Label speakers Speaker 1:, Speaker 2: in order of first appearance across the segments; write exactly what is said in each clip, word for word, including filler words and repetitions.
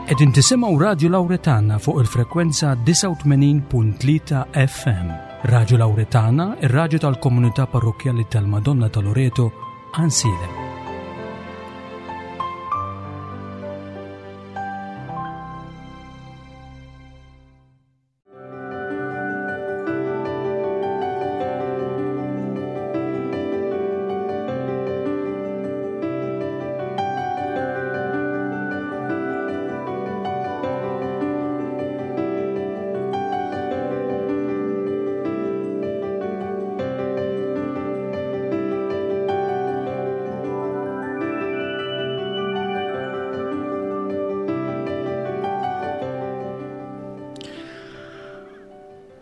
Speaker 1: Qegħdin tisimgħu Radju Lawretana fuq il-frekwenza disgħa u tmenin punt tlieta F M. Radju Lawretana, ir-radju tal-Komunità Parrokkjali tal-Madonna ta' Loreto, Għajnsielem.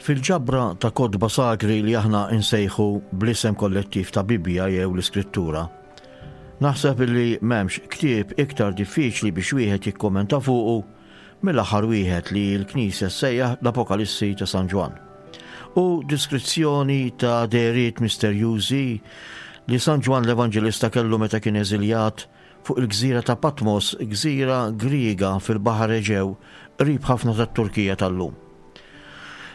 Speaker 2: Fil-ġabra ta' kotba sagri li aħna insejħu bl-isem kollettiv ta' Bibbja jew l-Iskrittura, naħseb li m'hemmx ktieb iktar diffiċli biex wieħed jikkommenta fuqu mill-aħħar wieħed li l-Knisja ssejjaħ l-Apokalissi ta' San Ġwann. U diskrizzjoni ta' dehriet misterjużi li San Ġwann l-Evanġelista kellu meta kien eżiljat fuq il-gżira ta' Patmos, gżira Griega fil-Baħar Eġew, qrib ħafna tat-Turkija tal-lum.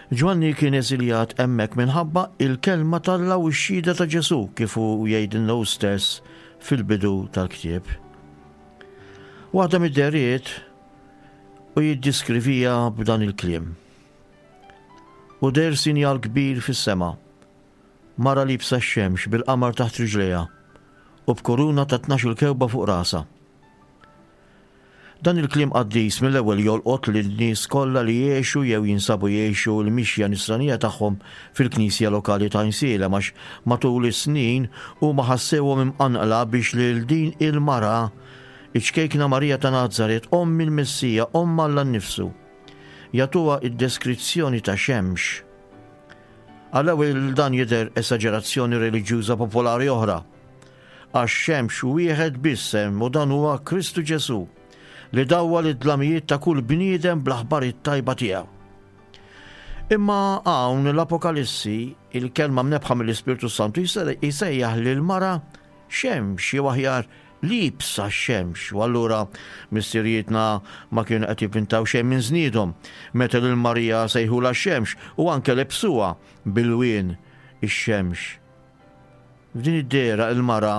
Speaker 2: Ġwanni kien eżiljat hemmhekk minħabba il-kelma t'Alla u x-xhieda ta' Ġesu, kif hu jgħidilna hu stess fil-bidu tal-ktieb. Waħda mid-dehriet u jiddiskrivija b'dan il-kliem. U deher sinjal kbir fis-sema, mara liebsa x-xemx bil-qamar taħt riġlejha u b'kuruna ta' tnax il kewba fuq rasha. Dan il-kliem qaddis mill-ewwel jolqot lin-nies kollha li jgħixu jew jinsabu jgħixu l-mixja nisranija tagħhom fil-knisja lokali ta' Għajnsielem, għax matul is-snin huma ħassewhom imqanqla biex lil din il-mara, iċ-ċkejkna Marija ta' Nazaret, omm il-Messija, omm Alla nnifsu, jagħtuha id-deskrizzjoni ta' xemx. Għall-ewwel dan jidher esaġerazzjoni reliġjuża popolari oħra. Għax xemx wieħed biss hemm, u dan huwa Kristu Ġesu, li dawwal id-dlamijiet ta' kull bniedem bl-aħbar it-tajba tiegħu. Imma hawn l-Apokalissi, il-kelma mnebbħa mill-Ispirtu Santu, jsejjaħ lil mara xemx, jew aħjar liebsa xemx, u allura missirijietna ma kienu qed jivvintaw xejn minn żniedhom meta lil Marija sejħula xemx u anke lebsuha bl-ilwien ix-xemx. F'din id-dehra il-mara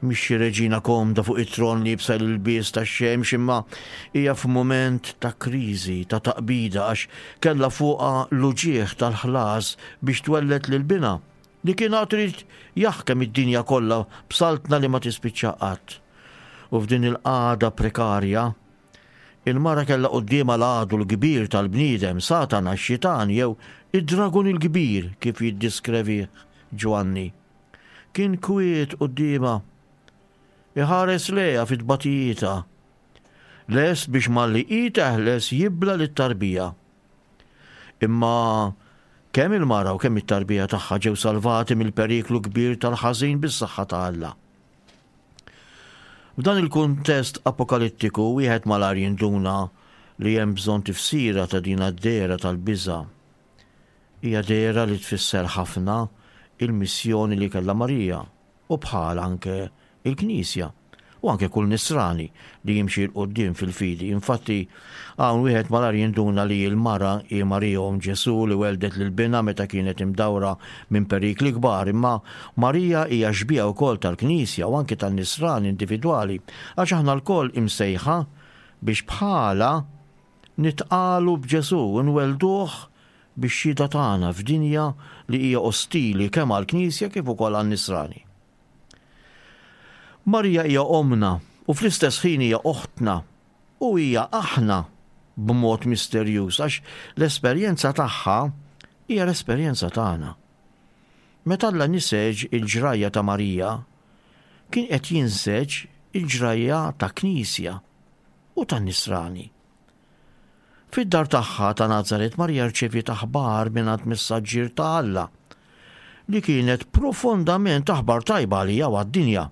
Speaker 2: mhix xi reġina komda fuq it-tron liebsa l-ilbies tax-xemx, imma hija f'mument ta' kriżi, ta' taqbida, għax kellha fuqha l-uġigħ tal-ħlas biex twelled lil binha li kien għad irid jaħkem id-dinja kollha b'saltna li ma tispiċċa qatt. U f'din il-qagħda prekarja, il-mara kellha quddiemha l-għadu l-kbir tal-bniedem, Satana, x-xitan jew id-dragun il-kbir, kif jiddiskrevih Ġwanni. Kien kwiet quddiemha, iħares lejha fit-tbatijietha, lest biex malli hi teħles jibla' lit-tarbija. Imma kemm il-mara u kemm it-tarbija tagħha ġew salvati mill-periklu kbir tal-ħażin bis-saħħa ta' Alla. F'dan il-kuntest apokalittiku wieħed malajr jinduna li hemm bżonn tifsira ta' din id-dehra tal-biża'. Hija dehra li tfisser ħafna il-missjoni li kellha Marija u bħal anke il-Knisja u anke kull nisrani li jimxi 'l quddiem fil-fidi. Infatti, hawn wieħed malajr jinduna li l-mara hi Marija omm Ġesu, li weldet lil binha meta kienet imdawra minn perikli kbar, imma Marija hija xbieha wkoll tal-Knisja u anke tan-nisrani individwali, għax aħna lkoll imsejħa biex bħala nitqalu b'Ġesu u nwelduh bix-xhieda tagħna f'dinja li hija ostili kemm għall-Knisja kif ukoll għan-nisrani. Marija hija omna u fl-istess ħin hija oħtna u hija aħna b'mod misterjuż, għax l-esperjenza tagħha hija l-esperjenza tagħna. Meta Alla niseġ il-ġrajja ta' Marija, kien qed jinseġ il-ġrajja ta' Knisja u tan-nisrani. Fid-dar tagħha ta' Nazaret, Marija rċeviet aħbar mingħand messaġġier ta' Alla li kienet profondament aħbar tajba għalija u għad-dinja.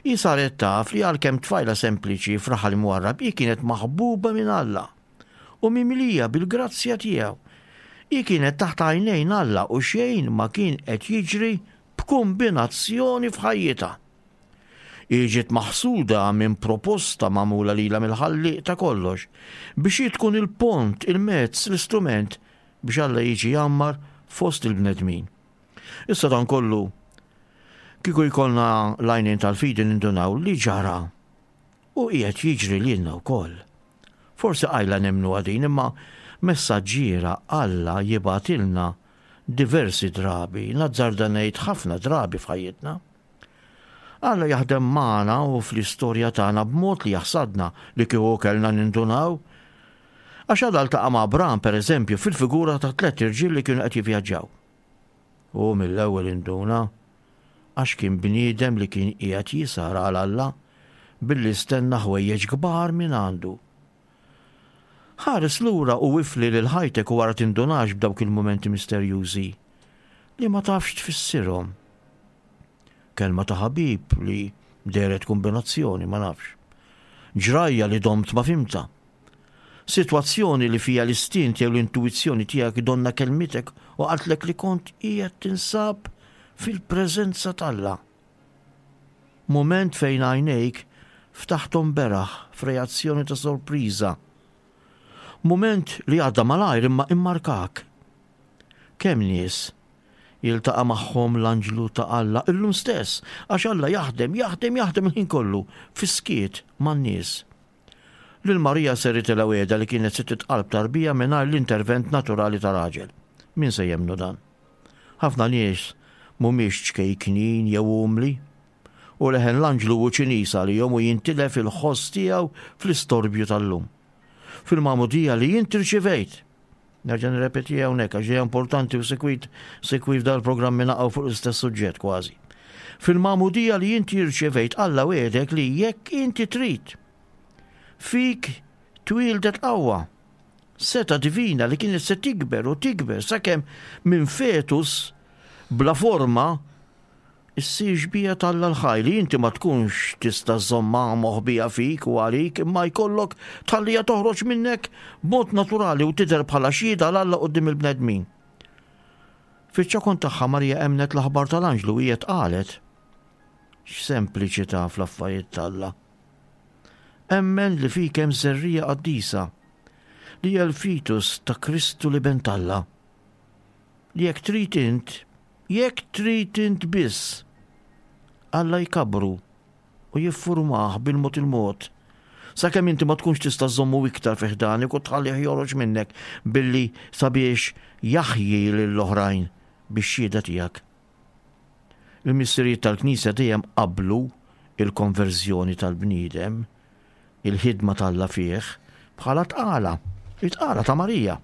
Speaker 2: Hi saret taf li għalkemm tfajla sempliċi f'raħal imwarrab, hi kienet maħbuba minn Alla u mimlija bil-grazzja tiegħu. Hi kienet taħt għajnejn Alla u xejn ma kien qed jiġri b'kombinazzjoni f'ħajjitha. Hi ġiet maħsuda minn proposta magħmula lilha mill-Ħallieq ta' kollox, biex hi tkun il-pont, il-mezz, l-istrument biex Alla jiġi jgħammar fost il-bnedmin. Issa dan kollu, kieku jkollna l-għajnejn tal-fidi nindunaw li ġara u qiegħed jiġri lilna wkoll. Forsi qajla nemmnu din, imma messaġġiera Alla jibgħatilna diversi drabi, nazzarda ngħid ħafna drabi f'ħajjitna. Alla jaħdem magħna u fl-istorja tagħna b'mod li jaħsadna li kieku kellna nindunaw. Għax Alla ltaqa' ma' Abram, per eżempju, fil-figura ta' tliet irġiel li kienu qed jivvjaġġaw. U mill-ewwel induna għax kien bniedem li kien qiegħed jisar għal Alla billi stenna ħwejjeġ kbar minn għandu. Ħares lura u ifli lil ħajtek u wara tindunax b'dawk il-mumenti misterjużi li ma tafx tfissirhom. Kelma ta' ħabib li dehret kombinazzjoni, ma nafx. Ġrajja li domt ma fhimtha. Sitwazzjoni li fija l-istint jew l-intuizzjoni tiegħek donna kelmitek u qaltlek li kont qiegħed tinsab fil-preżenza t'Alla. Moment fejn għajnejk ftaħthom beraħ f'reazzjoni ta' sorpriża. Moment li għadda malajr imma immarkak. Kemm nies jiltaqa' magħhom l-anġlu ta' Alla illum stess, għax Alla jaħdem, jaħdem, jaħdem il-ħin kollu fis-skiet man-nies. Lil Marija seritilha wegħda li kienet se titqal b'tarbija mingħajr l-intervent naturali ta' raġel. Min se jemmnu dan? Ħafna nies mhumiex ċkejknin jew umli, u leħen l-anġlu hu Ċiniż għalihom u jintilef il-ħoss tiegħu fl-istorbju tal-lum. Fil-magħmudija li inti rċivejt. Nerġa' nirrepeti hawnhekk għax hija importanti u sekwit sekwit dal-programmi naqgħu fuq l-istess suġġett kważi. Fil-magħmudija li inti rċevejt Alla wegħdek li jekk inti trid fik twieldet qawwa, seta divina li kienet se tikber u tikber sakemm minn fetus bla forma issir xbieha t'Alla l-ħaj li inti ma tkunx tista' żżommha moħbija fik u għalik imma jkollok tħallija toħroġ minnek b'mod naturali u tidher bħala xhieda għal Alla quddiem il-bnedmin. Fiċ-ċokon tagħha Marija emnet l-aħbar tal-anġlu u hija tqalet. X'sempliċità fl-affarijiet t'Alla. Emmen li fik hemm żerriegħa qaddisa li hija l-fetus ta' Kristu li ben t'Alla. Li jekk trid int, jekk trid int biss, Alla jkabru u jiffurmah bil-mod il-mod. Sakemm inti ma tkunx tista' żommu iktar fi ħdanek u tħallih joħroġ minnek billi sabiex jaħji lill-oħrajn bix-xhieda tiegħek. Il-missirijiet tal-Knisja dejjem qablu il-konverżjoni tal-bniedem, il-ħidma t'Alla fih, bħala tqala, it-tqala ta' Marija.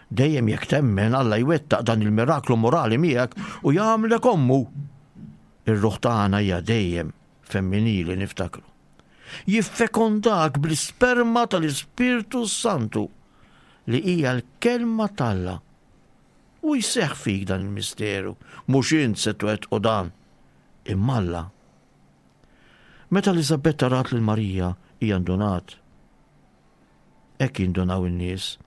Speaker 2: Dejjem jekk temmen Alla jwettaq dan il-miraklu morali miegħek u jagħmlek ommu. Ir-ruħ tagħna hija dejjem femminili niftakru. Jiffekondak bl-isperma tal-Ispirtu Santu li hija l-kelma t'Alla. U jseħħ fik dan il-misteru, mhux int se twettqu dan, imma Alla. Meta Eliżabetta rat lil Marija, hija ndunat. Hekk jindunaw in-nies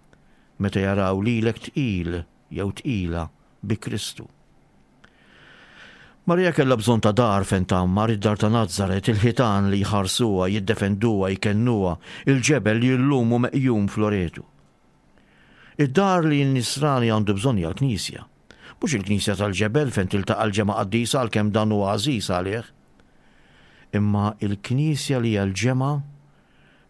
Speaker 2: meta jaraw lilek tqil jew tqila bi Kristu. Marija kellha bżonn ta' dar fejn tgħammar, id-dar ta' Nazaret, il-ħitan li jħarsuha, jiddefenduha, jkennuha, il-ġebel li llum hu meqjum f'Loretu. Id-dar li n-nisrani għandu bżonn hija l-Knisja. Mhux il-Knisja tal-ġebel fejn tiltaqa' l-ġemgħa qaddisa għalkemm dan huwa għażiż għalih. Imma il-Knisja li hija l-ġemgħa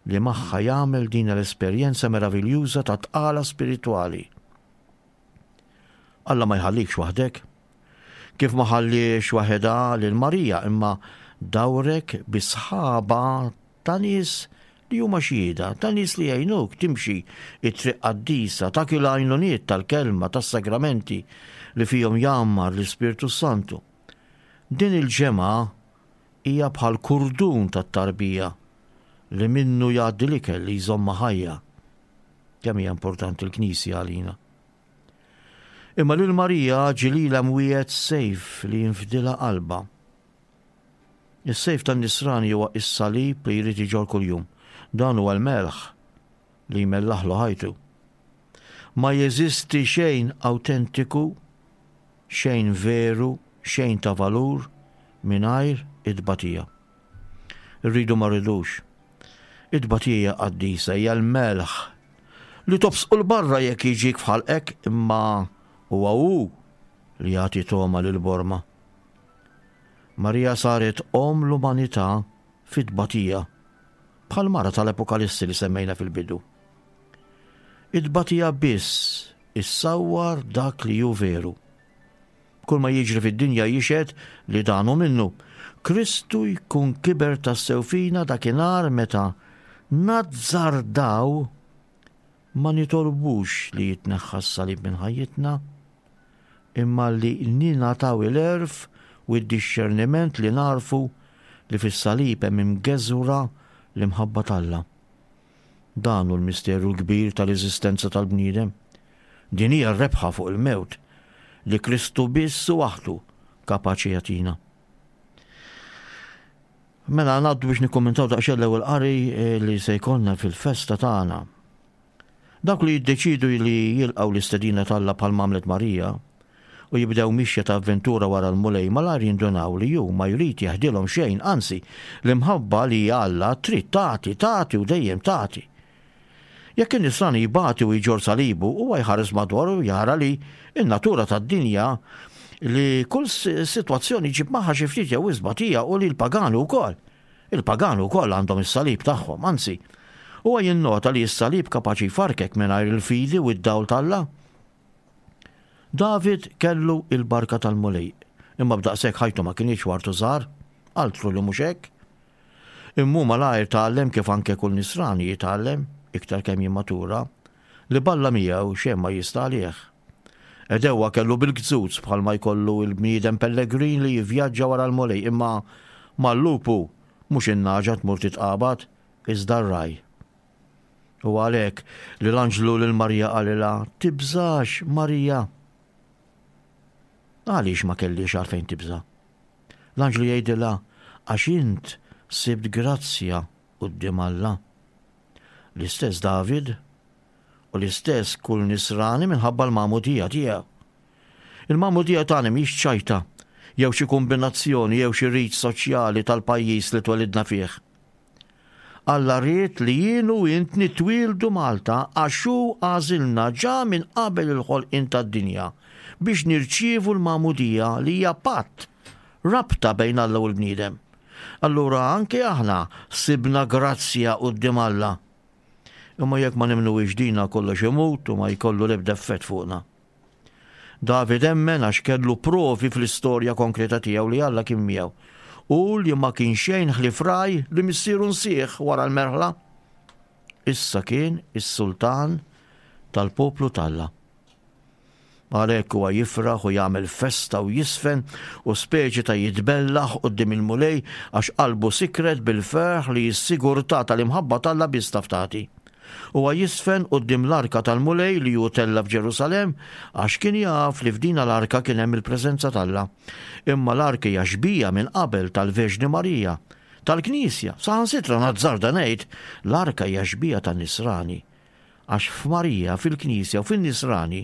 Speaker 2: li magħha jagħmel din l-esperjenza meraviljuża ta' tqala spiritwali. Alla ma jħallikx waħdek. Kif ma ħalliex waħedha lil Marija, imma dawrek bi sħaba ta' nies li huma xhieda, ta' nies li jgħinuk timxi it-triq qaddisa, ta' il għajnuniet tal-kelma, tas-sagramenti li fihom jgħammar l-Ispirtu Santu. Din il-ġemgħa hija bħal kurdun tat-tarbija li minnu jgħaddi l-ikel li jżomma ħajja. Kemm hija importanti l-Knisja għalina. Imma lil Marija ġilila mwiegħed sejf li jinfdilha qalbha. Is-sejf tan-nisrani huwa is-salib li jrid iġorr kuljum. Dan huwa l-melħ li jmellaħlu ħajtu. Ma jeżisti xejn awtentiku, xejn veru, xejn ta' valur mingħajr it-tbatija. Irridu ma rridux. It-tbatija qaddisa hija l-melħ li tobsqu 'l barra jekk jiġik f'ħalqek, imma huwa hu li jagħti togħma lill-borma. Marija saret omm l-umanità fit-tbatija, bħal mara tal-Apokalissi li semmejna fil-bidu. It-tbatija biss issawwar dak li hu veru. Kull ma jiġri fid-dinja jixhed li dan hu minnu. Kristu jkun kiber tassew fina dakinhar meta nazzardaw ma nitolbux li jitneħħa s-salib minn ħajjitna, imma li ningħataw il-għerf u d-dixxerniment li narfu li fis-salib hemm imgeżwra l-imħabba t'Alla. Dan hu l-misteru l-kbir tal-eżistenza tal-bniedem. Din hija r-rebħa fuq il-mewt li Kristu biss u waħdu kapaċi jagħtina. Mela ngħaddu biex nikkommentaw daqsxejn l-ewwel qari eh, li se jkollna fil-festa tagħna. Dawk li jiddeċidu li jilqgħu l-istedina t'Alla bħal m'għamlet Marija u jibdew mixja ta' avventura wara l-Mulej malajr jindunaw li hu ma jrid jeħdilhom xejn, anzi l-imħabba li Alla trid tagħti, tagħti u dejjem tagħti. Jekk in-nisrani jbati u jġorr salibu, huwa jħares madwaru u jara li n-natura tad-dinja li kull sitwazzjoni ġib magħha xi ftit jew wisq tbatija u li l-pagani wkoll. Il-pagani wkoll għandhom is-salib tagħhom, anzi, huwa jinnota li s-salib kapaċi jfarkek mingħajr il-fidi u d-dawl t'Alla. David kellu il-barka tal-Mulej, imma b'daqshekk ħajtu ma kinitx wartu żgħar, altru li mhux hekk. Imma hu malajr tgħallem kif anke kull nisrani jitgħallem, iktar kemm jimmatura, li b'Alla miegħu xejn ma jista' għalih. Għedewwa kellu bil-gzuz bħalma jkollu l-bniedem pellegrin li jivvjaġġa wara l-Mulej, imma mal-lupu mhux in-nagħġa tmur titqabad, iżda r-ragħaj. U għalhekk li l-anġlu lil Marija qalilha, Tibżax, Marija. Għaliex ma kellhiex għalfejn tibża'? L-anġlu jgħidilha, Għax int sibt grazzja quddiem Alla. L-istess David u l-istess kull nisrani minħabba l-magħmudija tiegħu. Il-magħmudija tagħna mhix ċajta jew xi kombinazzjoni jew xi rit soċjali tal-pajjiż li twelidna fih. Alla ried li jien u int nitwieldu Malta għax hu għażilna ġa minn qabel il-ħolqien tad-dinja biex nirċievu l-magħmudija li hija patt, rabta bejn Alla u l-bniedem. Allura anke aħna sibna grazzja quddiem Alla. Imma jekk ma nemmnuhiex dina kollox imut u ma jkollu l-ebda effett fuqna. David emmen għax kellu provi fl-istorja konkreta tiegħu li Alla kien miegħu u li ma kien xejn ħlief ragħaj li missieru nsieh wara l-merħla. Issa kien is-sultan tal-poplu t'Alla. Għalhekk huwa jifraħ u jagħmel festa u jisfen u speċi ta' jitbellaħ quddiem il-Mulej għax qalbu sikret bil-ferħ li s-sigurtà tal-imħabba t'Alla biss taf tagħti. Huwa jisfen quddiem l-arka tal-Mulej li hu tella' f'Ġerusalemm għax kien jaf li f'dina l-arka kien hemm il-preżenza t'Alla. Imma l-arka hija xbieha minn qabel tal-Verġni Marija, tal-Knisja, saħansitra nazzarda ngħid l-arka hija xbieha tan-Nisrani. Għax f'Marija, fil-Knisja u fin-Nisrani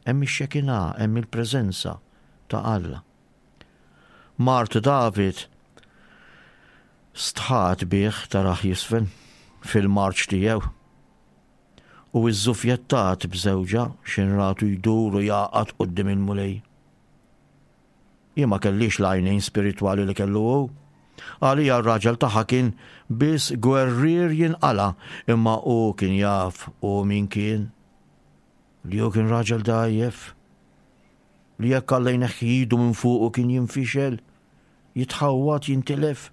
Speaker 2: hemm ix-Xekinah, hemm il-preżenza ta' Alla. Mart David stħat bih tarah jisfen fil-marċ tiegħu u iżżufjettat b'żewġha x'in ratu jdur u jagħqad quddiem il-Mulej. Hi ma kellhiex l-għajnejn spiritwali li kellu hu. Għaliha r-raġel tagħha kien biss gwerrier jinqala', imma hu kien jaf hu min kien. Li hu kien raġel dgħajjef. Li jekk Alla jneħħi idu minn fuqu kien jinfixel, jitħawwad, jintilef.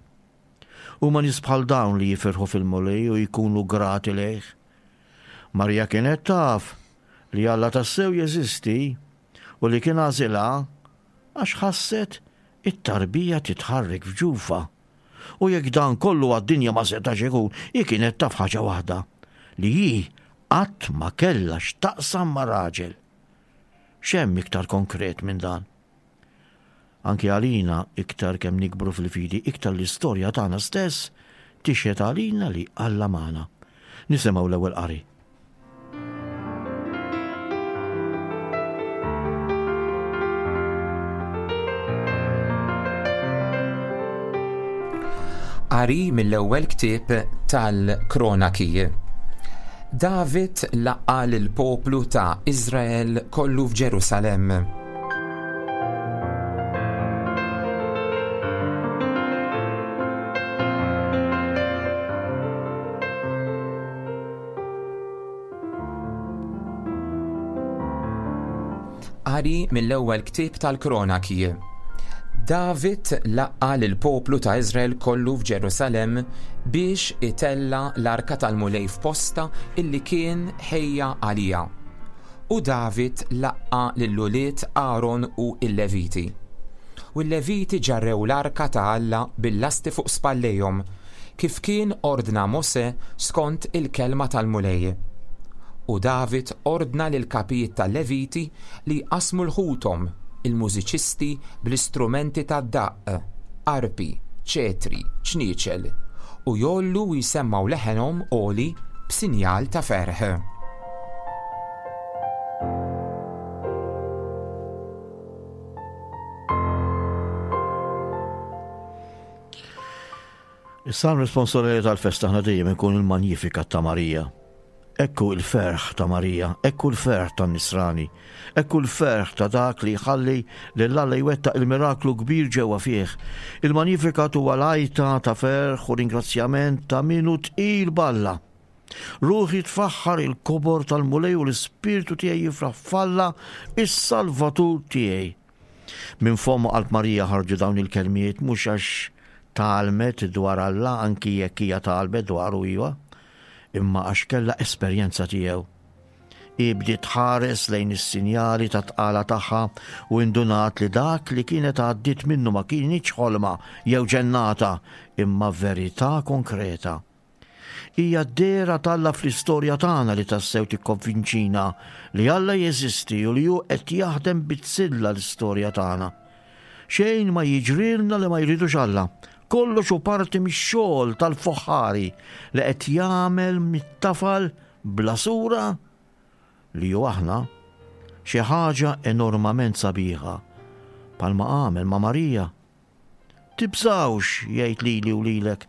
Speaker 2: Huma nies bħal dawn li jifirħu fil-Mulej u jkunu grati lejh. Marija kienet taf li Alla tassew jeżisti u li kien għażilha għax ħasset it-tarbija titħarrek f'ġufha. U jekk dan kollu għad-dinja ma setax ikun, hi kienet taf ħaġa waħda, li hi qatt ma kellha x'taqsam ma' raġel. X'hemm iktar konkret minn dan? Anki għalina, iktar kemm nikbru fil-fidi, iktar l-istorja tagħna stess tixhed għalina li Alla magħna. Nisimgħu l-ewwel qari.
Speaker 3: Qari mill-ewwel ktieb tal-Kronaki. David laqqa' lill-poplu ta' Iżrael kollu f'Ġerusalemm. Qari mill-ewwel ktieb tal-Kronaki. David laqqa' lill-poplu ta' Iżrael kollu f'Ġerusalemm biex itella' l-arka tal-Mulej f'postha illi kien ħejja għaliha. U David laqqa' lil ulied Aaron u l-Leviti. U l-Leviti ġarrew l-arka ta' Alla bil-lasti fuq spallejhom, kif kien ordna Mosè skont il-kelma tal-Mulej. U David ordna lill-kapijiet tal-Leviti li jqassmu l-ħuthom, il-mużiċisti bl-istrumenti tad-daqq, arpi, ċetri, ċnieċel, u jgħollu u jsemmgħu leħenhom għoli b'sinjal ta' ferħ.
Speaker 2: Is-salm responsorjali tal-festa aħna dejjem ikun il-Magnificat ta' Marija. Ekku il-ferħ ta' Marija, ekku l-ferħ tan-Nisrani, ekku l-ferħ ta' dak li jħalli lil Alla jwettaq il-miraklu kbir ġewwa fih. Il-Magnificat huwa l-għajta ta' ferħ u ringrazzjament ta' min hu tqil b'Alla. Ruħi tfaħħar il-kobor tal-Mulej u l-ispirtu tiegħi jifraħ f'Alla, is-Salvatur tiegħi. Minn fomm qalb Marija ħarġu dawn il-kelmiet mhux għax tgħallmet dwar Alla, anki jekk hija tgħallmet dwaru iva, imma għax kellha esperjenza tiegħu. Hi bdiet tħares lejn is-sinjali ta' tqala tagħha u indunat li dak li kienet għaddiet minnu ma kienx ħolma jew ġennata, imma verità konkreta. Hija d-dehra t'Alla fl-istorja tagħna li tassew tikkonvinċina li Alla jeżisti u li hu qed jaħdem bizzilla l-istorja tagħna. Xejn ma jiġrilna li ma jridux Alla. Kollox hu parti mix-xogħol tal-foħħari li qed jagħmel mit-tafal bla sura li hu aħna xi ħaġa enormament sabiħa, bħalma għamel ma' Marija. Tibżgħux, jgħid lili u lilek.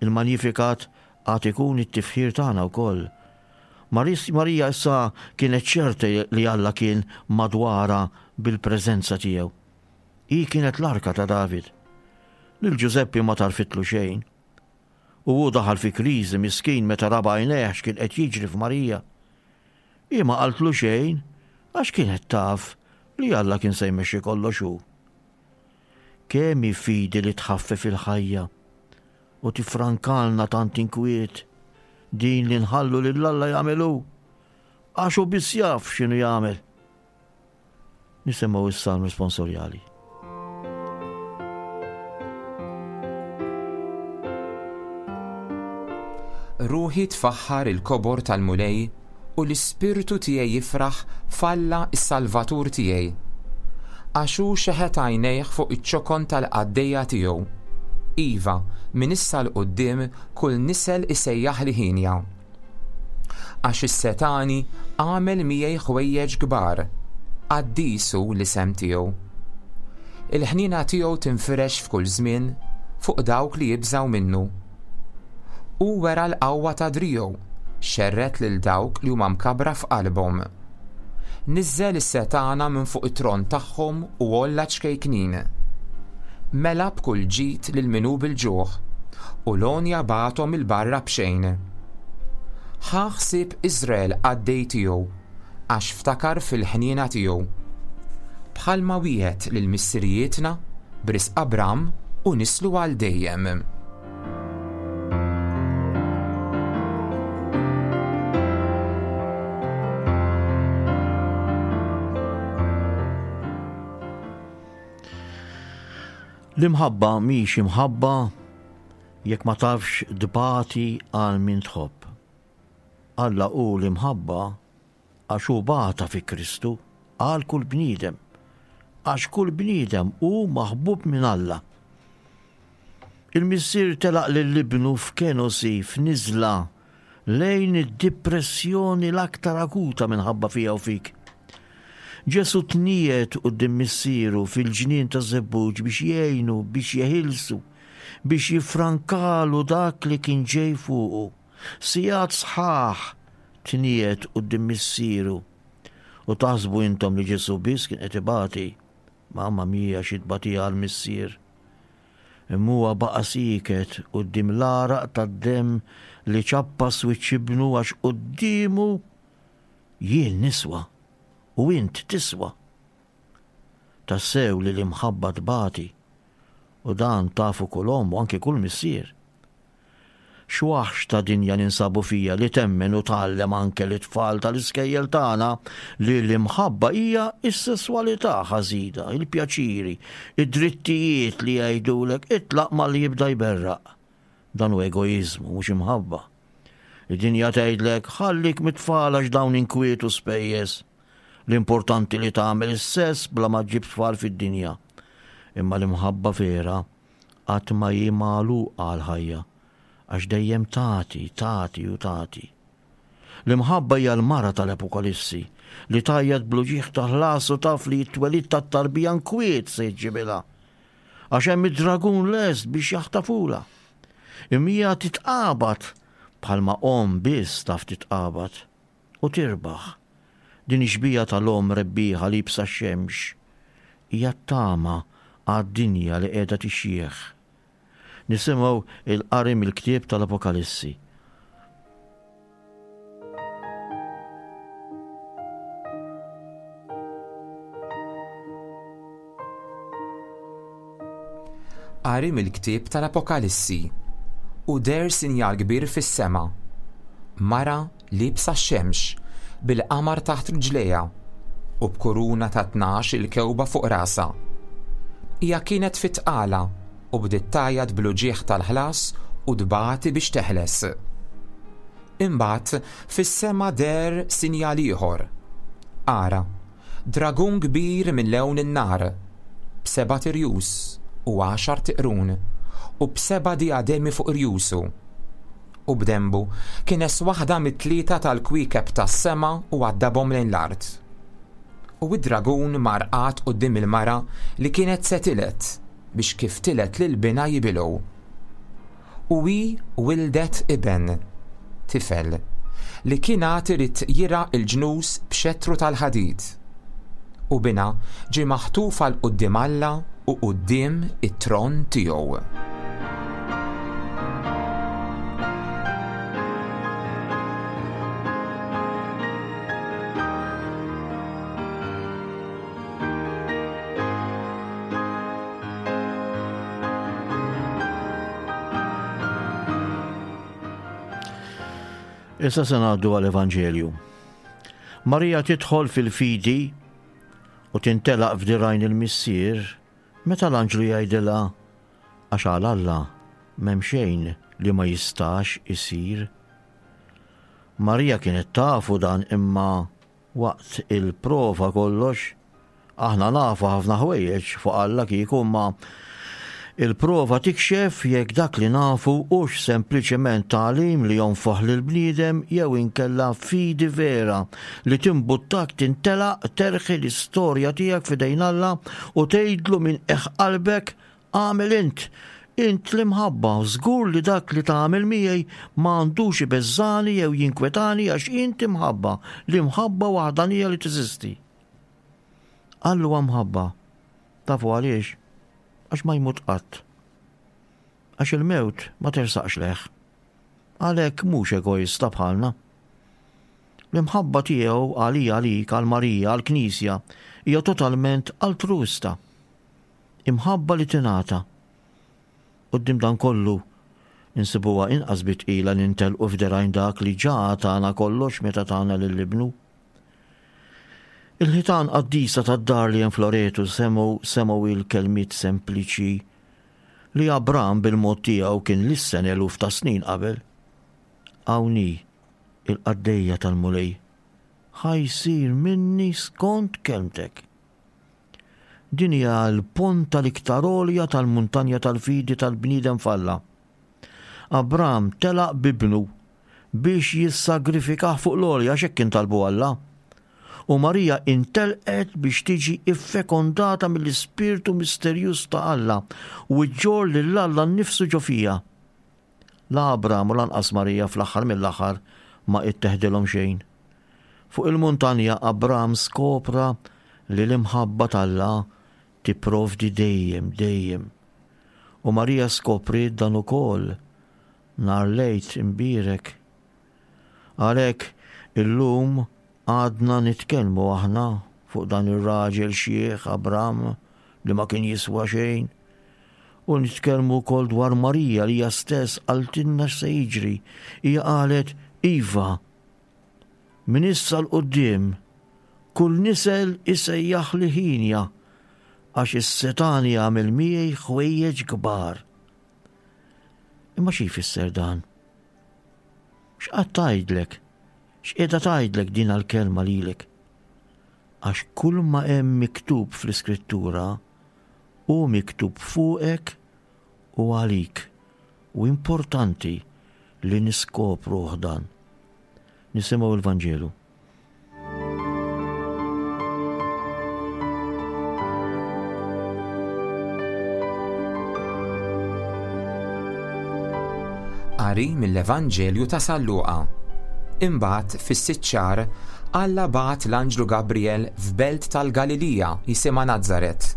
Speaker 2: Il-Magnificat għad ikun it-tifħir tagħna wkoll. Maris-, Marija issa kienet ċerta li Alla kien madwarha bil-preżenza tiegħu. Hi kienet l-arka ta' David. Lil Ġużeppi ma tarfitlu xejn. U hu daħal fi kriżi miskin meta ra b'għajnejh x'kien qed jiġri f'Marija. Hi ma qaltlu xejn għax kienet taf li Alla kien se jmexxi kollox hu. Kemm hi fidi li tħaffef il-ħajja u tifrankalna tant inkwiet din li nħallu lil Alla jagħmel hu, għax hu biss jaf x'inhu jagħmel. Nisimgħu is-salm responsorjali.
Speaker 3: Ruħi tfaħħar il-kobor tal-Mulej u l-ispirtu tiegħi jifraħ f'Alla s-Salvatur tiegħi. Għax hu xeħet għajnejh fuq iċ-ċokon tal-qaddejja tiegħu. Iva, minn issa 'l quddiem kull nisel isejjaħ li ħinja. Għax is-setani għamel miegħi ħwejjeġ kbar, qaddis hu l-isem tiegħu. Il-ħniena tiegħu tinfirex f'kull żmien fuq dawk li jibżgħu minnu. U wera l-qawwa ta' driegħu, xerred lil dawk li huma mkabra f'qalbhom. Niżżel is-setana minn fuq it-tron tagħhom u għolla ċkejknin. Mela b'kull ġid lil min hu bil-ġuħ, u l-għonja bagħathom il-barra b'xejn. Ħa ħsieb Iżrael qaddej tiegħu, għax ftakar fil-ħniena tiegħu. Bħalma wieħed lil missirijietna b'risq Abram u nislu għal dejjem.
Speaker 2: L-imħabba mhix imħabba jekk ma tafx tbati għal min tħobb. Alla hu l-imħabba għax hu bata fi Kristu għal kull bniedem, għax kull bniedem hu maħbub minn Alla. Il-missier telaq lil ibnu f'kenosi, f'niżla, lejn id-depressjoni l-aktar akuta minħabba fija u fik. Ġesu tniet quddiem missieru fil-ġnien ta' Żebbuġ biex jgħinu, biex jeħilsu. biex jiffrankalu dak li kien ġej fuqu. Sigħat sħaħ tniegħed quddiem missieru. U taħsbu intom li Ġesù biss kien qed ibati. Mamma mia xi tbatija għall-missier. Imma huwa baqa' sieket quddiem l-għaraq tad-demm li ċappas wiċċ ibnu għax quddiemu jien niswa u int tiswa. Tassew li l-imħabba tbati u dan tafu kull omm u anke kull missier. X'waħx ta' dinja ninsabu fija li temmen u tgħallem anke lit-tfal tal-iskejjel tagħna li l-imħabba hija s-sesswalità ħażina, il-pjaċiri, id-drittijiet li jgħidulek itlaq malli jibda jberraq. Dan hu egoiżmu mhux imħabba. Id-dinja tgħidlek ħallik mit-tfal għax dawn inkwiet u spejjeż. L-importanti li tagħmel is-sess bla ma ġġib tfal fid-dinja. Imma l-imħabba vera qatt ma hi magħluqa għall-ħajja, għax dejjem tagħti, tagħti u tagħti. L-imħabba hija l-mara tal-Apokalissi li tgħajjat bl-uġigħ ta' ħlas u taf li t-twelid tat-tarbija nkwiet se jġibilha. Għax hemm id-dragun lest biex jaħtafula. Imma hija titqabad bħalma omm biss taf titqabad u tirbaħ. Din ix-xbieha tal-omm rebbieħa liebsa x-xemx hija t-tama għad-dinja li qiegħda tixjieħ. Nisimgħu il-qari mill-ktieb tal-Apokalissi.
Speaker 3: Qari mill-ktieb tal-Apokalissi. U deher sinjal kbir fis-sema. Mara liebsa x-xemx, bil-qamar taħt riġlejha u b'kuruna ta' tnax il-kewba fuq rasha. Hija kienet fit-tqala u bdiet tgħajjat bl-uġigħ tal-ħlas u tbati biex teħles. Imbagħad fis-sema deher sinjal ieħor. Ara, dragun kbir minn lewn in-nar, b'seba' tirjus u għaxar tiqrun u b'seba' diademi fuq irjusu. U b'dembu kienes waħda mit-tlieta tal-kwiekeb tas-sema u għaddabhom lejn l-art. U id-dragun mar qagħad quddiem il-mara li kienet se tiled biex kif tiled lil binha jibilgħu. U hi wildet iben, tifel, li kien għad irid jirgħa l-ġnus b'xettru tal-ħadid. U binha ġie maħtuf għal quddiem Alla u quddiem it-tron tiegħu.
Speaker 2: Issa se ngħaddu għall-Evanġelju. Marija tidħol fil-fidi u tintelaq f'dirajn il-missier meta l-anġlu jgħidilha għax għal Alla m'hemm xejn li ma jistax isir. Marija kienet tafu dan imma waqt il-prova kollox aħna nafu ħafna ħwejjeġ fuq Alla kieku imma il-prova tikxef jekk dak li nafu hux sempliċement tagħlim li jonfoħ lil bniedem jew inkella fidi vera li timbuttak tintelaq terħi l-istorja tiegħek f'idejn Alla u tgħidlu minn qiegħ qalbek agħmel int. Int l-imħabba, żgur li dak li tagħmel miegħi ma għandux ibeżżani jew jinkwetani għax int imħabba, l-imħabba waħdanija li teżisti. Alla huwa mħabba. Tafu għaliex? Għax ma jmut qatt. Għax il-mewt ma tersaqx leħ. Għalhekk mhux egoista bħalna. L-imħabba tiegħu għalija għalik, għal Marija, għall-Knisja, hija totalment altruista. Imħabba li tingħata. Quddiem dan kollu insibuha inqas bitqila nintelqu f'derajn dak li ġa tagħna kollox meta tagħna lil ibnu. Il-ħitan qaddisa tad-dar li hemm f'Loreto semgħu semgħu il-kelmiet sempliċi li Abram bil-mod tiegħu kien lissen eluf ta' snin qabel. Hawn hi il-qaddejja tal-Mulej, ħa jsir minni skont kelmtek. Din hija l-ponta l-iktar għolja tal-muntanja tal-fidi tal-bniedem f'Alla. Abram telaq bibnu biex jissagrifikah fuq l-għolja għax hekk kien talbu Alla. U Marija intelqet biex tiġi iffekondata mill-Ispirtu misterjuż ta' Alla u ġġorr lil Alla nnifsu ġo fiha. La Abram u lanqas Marija fl-aħħar mill-aħħar ma itteħdilhom xejn. Fuq il-muntanja Abram skopra li l-imħabba t'Alla tipprovdi dejjem, dejjem. U Marija skopriet dan ukoll nhar l-Għid imbierek. Għalhekk illum għadna nitkellmu aħna fuq dan ir-raġel xiħ Abram li ma kien jiswa xejn. U nitkellmu wkoll dwar Marija li hija stess qaltilna x'se jiġri. Hija qalet iva, minn issa 'l quddiem kull nisel isejjaħli ħienja għax is-setgħani għamel miegħi ħwejjeġ kbar. Imma xi jfisser dan? X'qed tgħidlek? X'qiegħda tgħidlek din l-kelma lilek? Għax kull ma hemm miktub fl-Iskrittura hu miktub fuqek u għalik. U importanti li niskopruh dan. Nisimgħu l-Vanġelu.
Speaker 3: Qari mill-Evanġelju ta' San Luqa. Imbagħad fis-sitt xahar Alla bagħat l-anġlu Gabriel f'belt tal-Galilija jisimha Nazaret,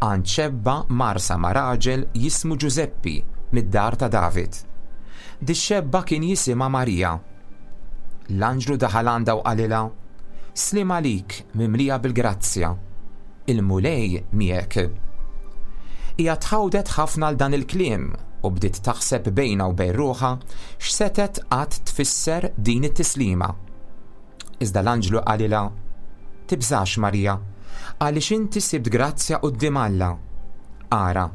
Speaker 3: għand xebba marsa ma' raġel jismu Ġużeppi mid-dar ta' David. Dix-xebba kien jisimha Marija. L-anġlu daħal għandha u qalilha: Sliem għalik mimlija bil-grazzja, il-Mulej miegħek. Hija tħawdet ħafna għal dan il-kliem u bdiet taħseb bejnha u bejn ruħha x'setgħet qatt tfisser din it-tislima. Iżda l-anġlu qalilha: Tibżax Marija, għaliex inti sibt grazzja quddiem Alla. Ara,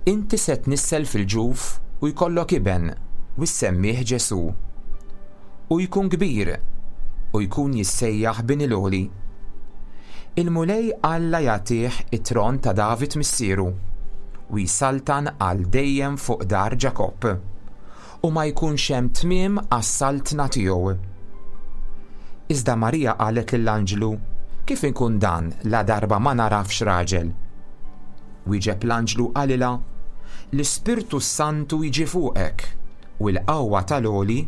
Speaker 3: inti se tnissel fil-ġuf u jkollok iben u ssemmih Ġesù. U jkun kbir u jkun jissejjaħ bin il-Għoli. Il-Mulej Alla jagħtih it-tron ta' David missieru u jsaltan għal dejjem fuq dar Ġakobb, u ma jkunx hemm tmiem għas-saltna tiegħu. Iżda Marija qalet lill-anġlu: Kif inkun dan la darba ma narafx raġel? Wieġeb l-anġlu qalilha: L-Ispirtu Santu jiġi fuqek u l-qawwa tal-Għoli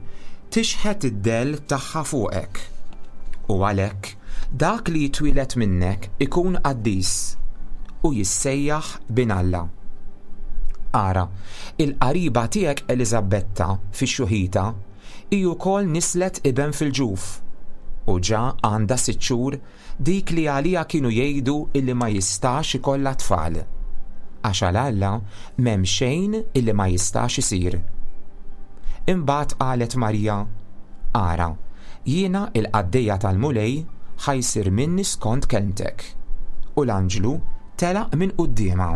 Speaker 3: tixħet id-dell tagħha fuqek. U għalhekk dak li jitwieled minnek ikun qaddis u jissejjaħ bin Alla. Ara, il-qariba tiegħek Eliżabetta fix-xuħita hi wkoll nislet iben fil-ġuf, u ġa għandha sitt xhur dik li għaliha kienu jgħidu illi ma jistax ikollha tfal. Għax għal Alla m'hemm xejn illi ma jistax isir. Imbagħad qalet Marija: Ara, jiena il-qaddejja tal-Mulej, ħa jsir minni skont kelmtek. U l-anġlu telaq minn quddiemha.